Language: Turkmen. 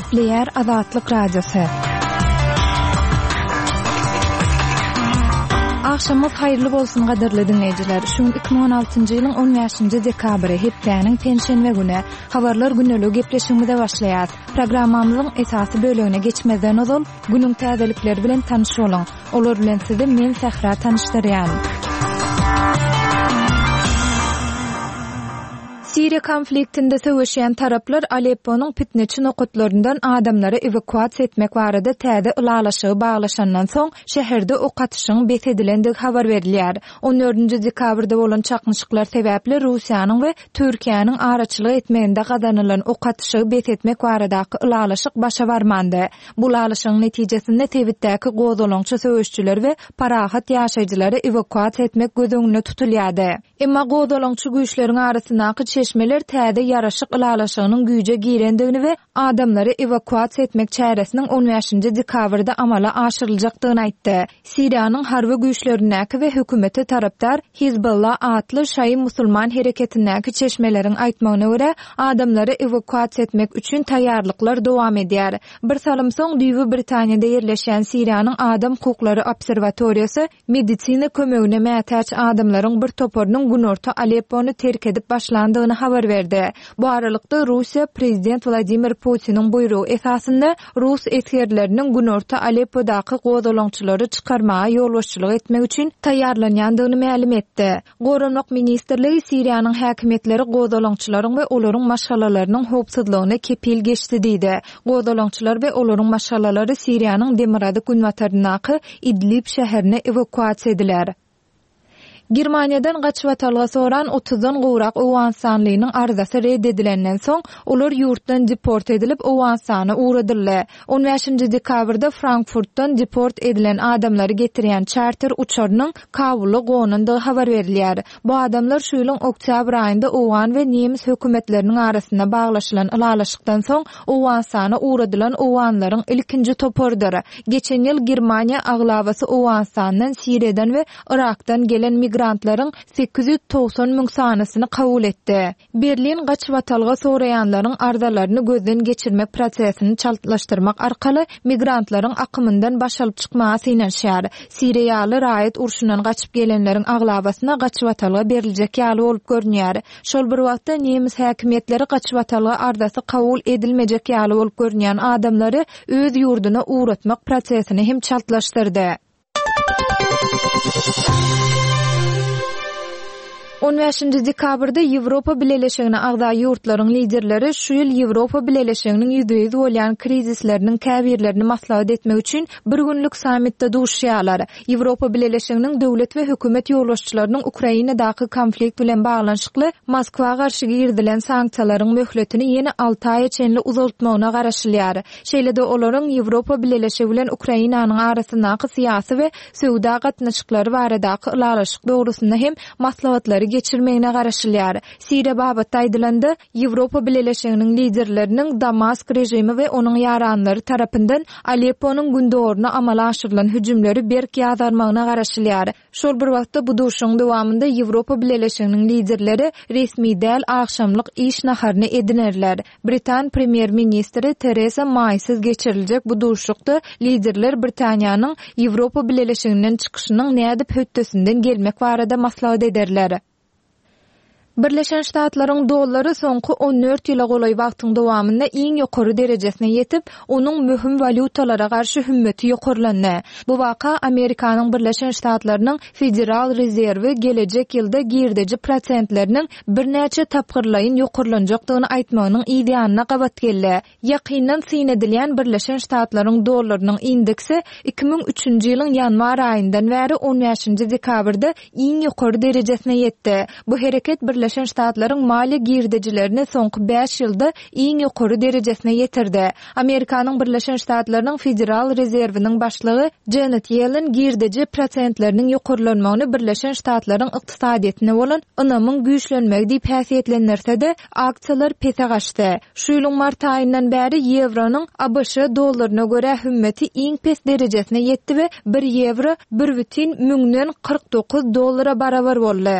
Gepleýär Azatlyk Radiosy. Agşamyňyz haýyrly bolsun gadyrly diňleýjiler. Şu gün 2016-njy ýylyň 15-nji dekabry, hepdäniň penşenbe güni. Habarlar gündeligi gepleşigimize başlaýas. Programmamyzyň esasy bölegine geçmezden ozal, günüň täzelikleri bilen tanyş boluň. Olar bilen sizi men Sähra tanyşdyrýan. Siriýa konfliktinde söweşýän taraplar Alepponyň pitneçi nokatlaryndan adamlary ewakuasiýa etmek barada täze ylalaşygy baglaşandan soň, şäherde ok atyşygyň bes edilendigi habar berilýär. On dördünji dekabrda bolan çaknyşyklar sebäpli Russiýanyň we Türkiýäniň araçylyk etmeginde gazanylan ok atyşygy bes etmek baradaky ylalaşyk başa barmandy. Bu ylalaşygyň netijesinde sebitdäki gozgalaňçy söweşçileri we parahat ýaşaýjylary ewakuasiýa etmek göz öňünde tutulýardy. Emma gozgalaňçy güýçleriň arasyndaky çeşmeler täze ýaraşyk ylalaşygynyň güýje girendigini we adamlary ewakuasiýa etmek çäresiniň on bäşinji dekabrda amala aşyryljakdygyny aýtdy. Siriýanyň harby güýçlerindäki we hökümete tarapdar Hizbullah atly şaýy musulman hereketindäki çeşmeleriň aýtmagyna görä, adamlary ewakuasiýa etmek üçin taýýarlyklar dowam edýär. Bir salym soň düýbi Britaniýada ýerleşýän Siriýanyň adam hukuklary obserwatoriýasy Medisina kömegine mätäç adamlaryň bir toparynyň günorta Aleppony terk edip başlandygyny habar berdi. Bu aralykda, Russiýa prezident Wladimir Putiniň buýrugy esasynda rus esgerleriniň günorta Aleppodaky gozgalaňçylary çykarmaga ýolbaşçylyk etmek üçin taýýarlanýandygyny mälim etdi. Goranmak ministrligi Siriýanyň häkimiýetleri gozgalaňçylaryň we olaryň maşgalalarynyň howpsuzlygyna kepil geçdi diýdi. Gozgalaňçylar we olaryň maşgalalary Siriýanyň demirgazyk-günbataryndaky Idlib şäherine ewakuasiýa ediler. Germaniýadan gaçybatalga soran otuzdan gowrak owganystanlynyň arzasy red edilenden soň, olar ýurtdan deport edilip, Owganystana ugradyldy. On bäşinji dekabrda Frankfurtdan deport edilen adamlary getirýän çarter uçarynyň Kabula gonandygy habar berilýär. Bu adamlar şu ýylyň oktýabr aýynda owgan we nemes hökümetleriniň arasynda baglaşylan ylalaşykdan soň Owganystana ugradylan owganlaryň ilkinji toparydyr. Geçen ýyl Germaniýa aglabasy Owganystandan, Siriýadan we Yrakdan gelen migrantlaryň 890 müň sanysyny kabul etdi. Berlin gaçybatalga soraýanlaryň arzalaryny gözden geçirmek prosesini çaltlaşdyrmak arkaly migrantlaryň akymyndan baş alyp çykmaga synanyşýar. Siriýa ýaly raýat urşundan gaçyp gelenleriň aglabasyna gaçybatalga beriljek ýaly bolup görünýär. Şol bir wagtda, nemes häkimiýetleri gaçybatalga arzasy kabul edilmejek ýaly bolup görünýän adamlary öz ýurduna ugratmak prosesini hem çaltlaşdyrdy. On bäşinji dekabrda Ýewropa Bileleşigine agza ýurtlaryň liderleri şu ýyl Ýewropa Bileleşiginiň ýüzbe-ýüz bolýan krizisleriniň käbirlerini maslahat etmek üçin bir günlük sammitde duşuşýarlar. Ýewropa Bileleşiginiň döwlet we hökümet ýolbaşçylarynyň Ukrainadaky konflikt bilen baglanyşykly Moskwa garşy girizilen sanksiýalaryň möhletini ýene alty aýa çenli uzaltmagyna garaşylýar. Şeýle-de olaryň Ýewropa Bileleşigi bilen Ukrainanyň arasyndaky syýasy we söwda gatnaşyklary baradaky ylalaşyk dogrusynda hem maslahatlary geçirmegine garaşylýar. Siriýa babatda aýdylanda, Ýewropa Bileleşiginiň liderleriniň Damask režimi we onuň ýaranlary tarapyndan Alepponyň gündogaryna amala aşyrylan hüjümleri berk ýazgarmagyna garaşylýar. Şol bir wagtda, bu duşuşygyň dowamynda Ýewropa Bileleşiginiň liderleri resmi däl agşamlyk iş naharyny edinerler. Britan premýer-ministri Teresa Maýsyz geçiriljek bu duşuşykda liderler Britaniýanyň Ýewropa Bileleşiginden çykyşynyň nädip hötdesinden gelmek barada maslahat ederler. Birleşen Ştatlaryň dollary soňky on dört ýyla golaý wagtyň dowamynda iň ýokary derejesine ýetip, onuň möhüm walýutalara garşy hümmeti ýokarlandy. Bu waka Amerikanyň Birleşen Ştatlarynyň Federal rezerwi gelejek ýylda girdeji prosentleriniň birnäçe tapgyrlaýyn ýokarlanjakdygyny aýtmagynyň yz ýanyna gabat geldi. Ýakyndan syn edilýän Birleşen Ştatlaryň dollarynyň indeksi 2003-nji ýylyň ýanwar aýyndan bäri on bäşinji dekabrda iň ýokary derejesine ýetdi. Bu hereket Birleşen Ştatlaryň maliýe girdejilerini soňky bäş ýylda iň ýokary derejesine ýetirdi. Amerikanyň Birleşen Ştatlarynyň Federal rezerwiniň başlygy Janet Ýellen girdeji prosentleriniň ýokarlanmagyny Birleşen Ştatlaryň ykdysadyýetine bolan ynamyň güýçlenmegi diýip häsiýetlendirse-de, aksiýalar pese gaçdy. Şu ýylyň mart aýyndan bäri ýewronyň ABŞ dollaryna görä hümmeti iň pes derejesine ýetdi we bir ýewro bir bütin müňden 49 dollara barabar boldy.